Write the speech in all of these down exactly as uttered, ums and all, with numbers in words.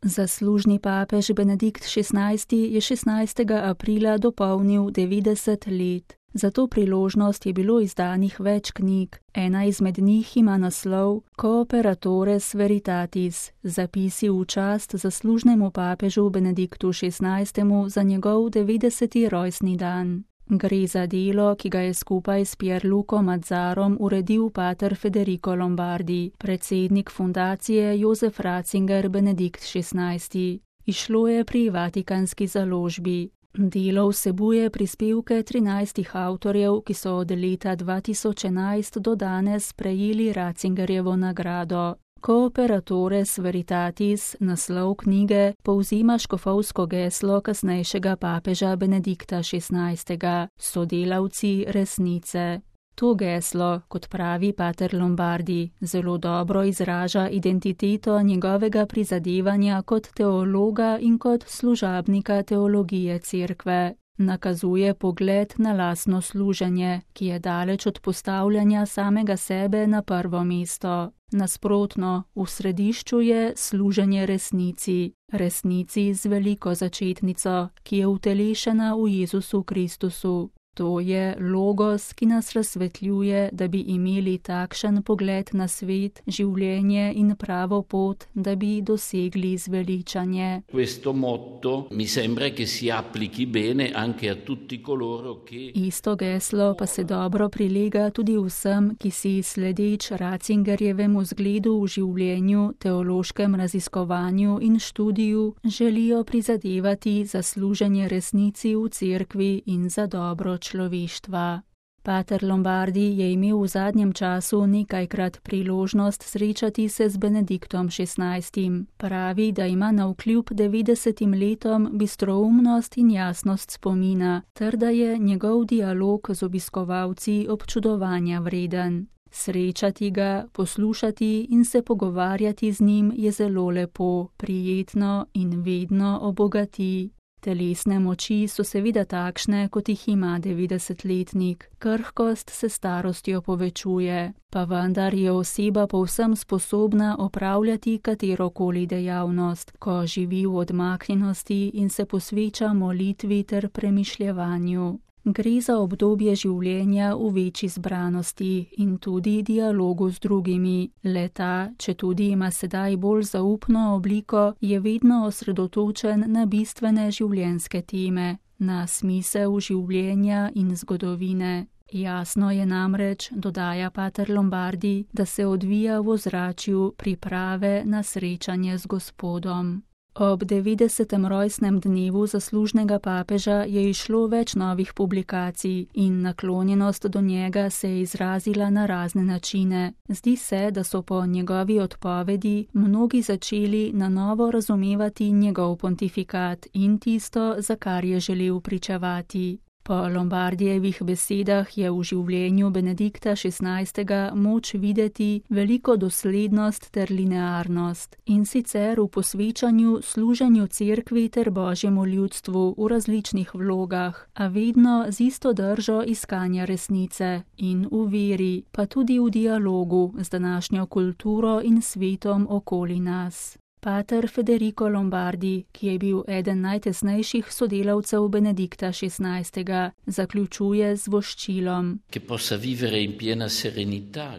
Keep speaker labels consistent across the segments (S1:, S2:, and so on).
S1: Zaslužni papež Benedikt šestnajsti je šestnajstega aprila dopolnil devetdeset let. Za to priložnost je bilo izdanih več knjig. Ena izmed njih ima naslov Cooperatores Veritatis, zapisi v čast zaslužnemu papežu Benediktu šestnajstemu za njegov devetdeseti rojstni dan. Gre za delo, ki ga je skupaj s Pierluco Mazzarom uredil pater Federico Lombardi, predsednik fundacije Josef Ratzinger Benedikt šestnajsti. Izšlo je pri Vatikanski založbi. Delo vsebuje prispevke trinajstih avtorjev, ki so od leta dva tisoč enajst do danes prejeli Ratzingerjevo nagrado. Cooperatores Veritatis, naslov knjige, povzema škofovsko geslo kasnejšega papeža Benedikta šestnajstega, sodelavci resnice. To geslo, kot pravi pater Lombardi, zelo dobro izraža identiteto njegovega prizadevanja kot teologa in kot služabnika teologije cerkve. Nakazuje pogled na lastno služenje, ki je daleč od postavljanja samega sebe na prvo mesto. Nasprotno, v središču je služenje resnici, resnici z veliko začetnico, ki je utelešena v Jezusu Kristusu. To je logos, ki nas razsvetljuje, da bi imeli takšen pogled na svet, življenje in pravo pot, da bi dosegli zveličanje.
S2: Questo motto mi sembra che si applichi bene anche a tutti coloro che...
S1: Isto geslo pa se dobro prilega tudi vsem, ki si sledeč Ratzingerjevemu zgledu v življenju, teološkem raziskovanju in študiju želijo prizadevati za služenje resnici v cerkvi in za dobro človeštva. Pater Lombardi je imel v zadnjem času nekajkrat priložnost srečati se z Benediktom šestnajstim. Pravi, da ima navkljub devetdesetim letom bistroumnost in jasnost spomina, ter da je njegov dialog z obiskovalci občudovanja vreden. Srečati ga, poslušati in se pogovarjati z njim je zelo lepo, prijetno in vedno obogati. Telesne moči so seveda takšne, kot jih ima devetdesetletnik. Krhkost se starostjo povečuje, pa vendar je oseba povsem sposobna opravljati katerokoli dejavnost, ko živi v odmaknjenosti in se posveča molitvi ter premišljevanju. Gre za obdobje življenja v večji zbranosti in tudi dialogu z drugimi. Le-ta, če tudi ima sedaj bolj zaupno obliko, je vedno osredotočen na bistvene življenjske teme, na smisel življenja in zgodovine. Jasno je namreč, dodaja pater Lombardi, da se odvija v ozračju priprave na srečanje z Gospodom. Ob devetdesetem rojstnem dnevu zaslužnega papeža je izšlo več novih publikacij in naklonjenost do njega se je izrazila na razne načine. Zdi se, da so po njegovi odpovedi mnogi začeli na novo razumevati njegov pontifikat in tisto, za kar je želel pričevati. Po Lombardijevih besedah je v življenju Benedikta šestnajstega moč videti veliko doslednost ter linearnost, in sicer v posvečanju služenju cerkvi ter božjemu ljudstvu v različnih vlogah, a vedno z isto držo iskanja resnice in v veri, pa tudi v dialogu z današnjo kulturo in svetom okoli nas. Pater Federico Lombardi, ki je bil eden najtesnejših sodelavcev Benedikta šestnajstega, zaključuje z voščilom,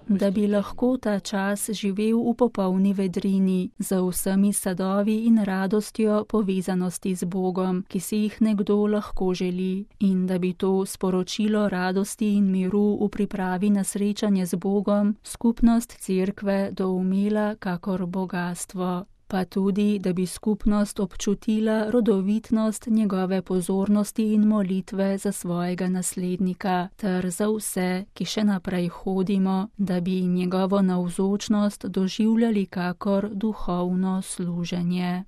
S1: da bi lahko ta čas živel v popolni vedrini, z vsemi sadovi in radostjo povezanosti z Bogom, ki si jih nekdo lahko želi, in da bi to sporočilo radosti in miru v pripravi na srečanje z Bogom skupnost cerkve doumela kakor bogastvo. Pa tudi, da bi skupnost občutila rodovitnost njegove pozornosti in molitve za svojega naslednika, ter za vse, ki še naprej hodimo, da bi njegovo navzočnost doživljali kakor duhovno služenje.